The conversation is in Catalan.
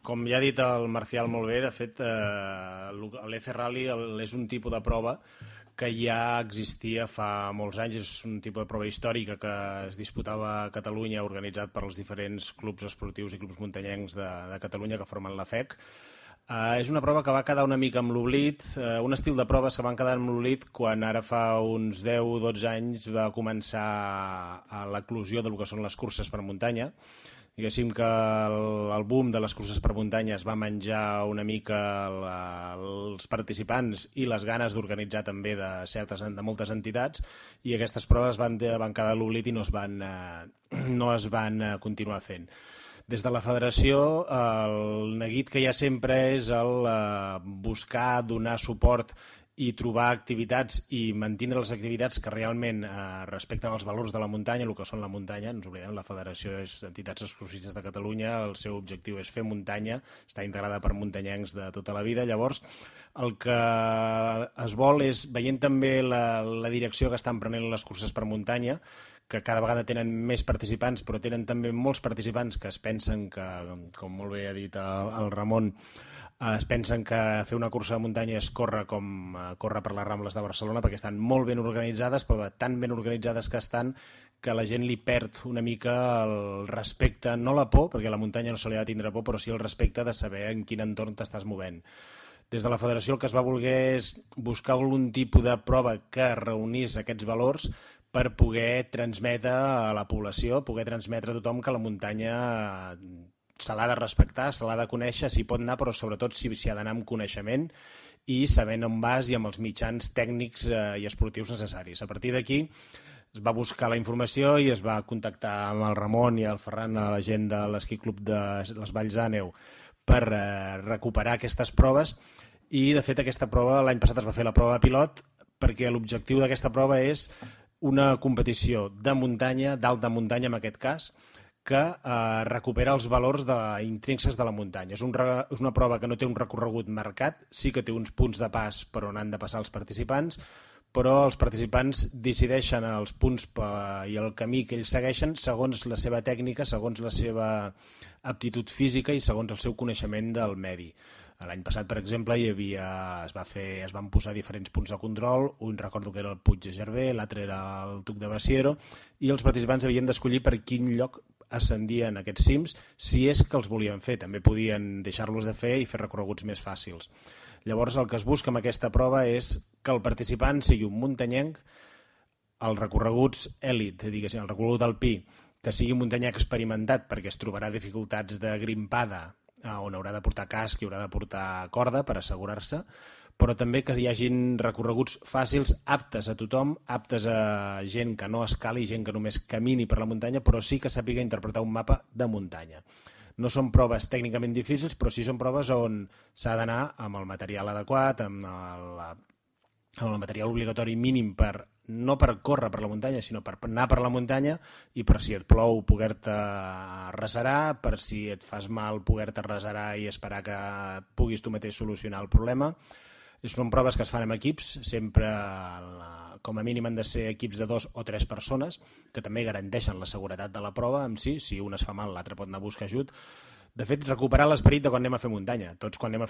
Com ja ha dit el Marcial molt bé, de fet, l'F Rally és un tipus de prova que ja existia fa molts anys, és un tipus de prova històrica que es disputava a Catalunya, organitzat per els diferents clubs esportius i clubs muntanyencs de Catalunya que formen la FEC. És una prova que va quedar una mica amb l'oblit, un estil de proves que van quedar amb l'oblit quan ara fa uns 10 o 12 anys va començar l'eclosió del que són les curses per muntanya. Diguéssim que el boom de les curses per muntanya es va menjar una mica els participants i les ganes d'organitzar també de moltes entitats, i aquestes proves van quedar a l'oblit i no es van continuar fent. Des de la federació, el neguit que hi ha sempre és el buscar donar suport i trobar activitats i mantenir les activitats que realment respecten els valors de la muntanya, el que són la muntanya. No ens oblidem, la federació és d'entitats excursionistes de Catalunya, el seu objectiu és fer muntanya, està integrada per muntanyencs de tota la vida. Llavors, el que es vol és, veient també la direcció que estan prenent les curses per muntanya, que cada vegada tenen més participants, però tenen també molts participants que es pensen que, com molt bé ha dit el Ramon, es pensen que fer una cursa de muntanya és córrer com córrer per les Rambles de Barcelona, perquè estan molt ben organitzades, però tan ben organitzades que estan que la gent li perd una mica el respecte, no la por, perquè a la muntanya no se li ha de tindre por, però sí el respecte de saber en quin entorn t'estàs movent. Des de la federació el que es va voler és buscar algun tipus de prova que reunís aquests valors per poder transmetre a la població, poder transmetre a tothom que la muntanya se l'ha de respectar, se l'ha de conèixer, s'hi pot anar, però sobretot s'hi ha d'anar amb coneixement i sabent on vas i amb els mitjans tècnics i esportius necessaris. A partir d'aquí es va buscar la informació i es va contactar amb el Ramon i el Ferran, la gent de l'Esquí Club de les Valls d'Àneu, per recuperar aquestes proves, i de fet aquesta prova l'any passat es va fer la prova pilot, perquè l'objectiu d'aquesta prova és una competició de muntanya, d'alta muntanya en aquest cas, que recupera els valors intrínsecs de la muntanya. És una prova que no té un recorregut marcat, sí que té uns punts de pas per on han de passar els participants, però els participants decideixen els punts i el camí que ells segueixen segons la seva tècnica, segons la seva aptitud física i segons el seu coneixement del medi. L'any passat, per exemple, es van posar diferents punts de control, un recordo que era el Puig de Gerver, l'altre era el Tuc de Basiero, i els participants havien d'escollir per quin lloc ascendien aquests cims, si és que els volien fer. També podien deixar-los de fer i fer recorreguts més fàcils. Llavors, el que es busca amb aquesta prova és que el participant sigui un muntanyenc, els recorreguts èlit, diguéssim, el recorregut alpí, que sigui un muntanyenc experimentat perquè es trobarà dificultats de grimpada, on haurà de portar casc i haurà de portar corda per assegurar-se, però també que hi hagin recorreguts fàcils, aptes a tothom, aptes a gent que no escali, gent que només camini per la muntanya, però sí que sàpiga interpretar un mapa de muntanya. No són proves tècnicament difícils, però sí són proves on s'ha d'anar amb el material adequat, amb el material obligatori mínim no per córrer per la muntanya, sinó per anar per la muntanya, i per si et plou poder-te reserar, per si et fas mal poder-te reserar i esperar que puguis tu mateix solucionar el problema. Són proves que es fan amb equips, sempre com a mínim han de ser equips de 2 o 3 persones, que també garanteixen la seguretat de la prova en si un es fa mal l'altre pot anar a buscar ajut. De fet, recuperar l'esperit de quan anem a fer muntanya. Tots quan anem a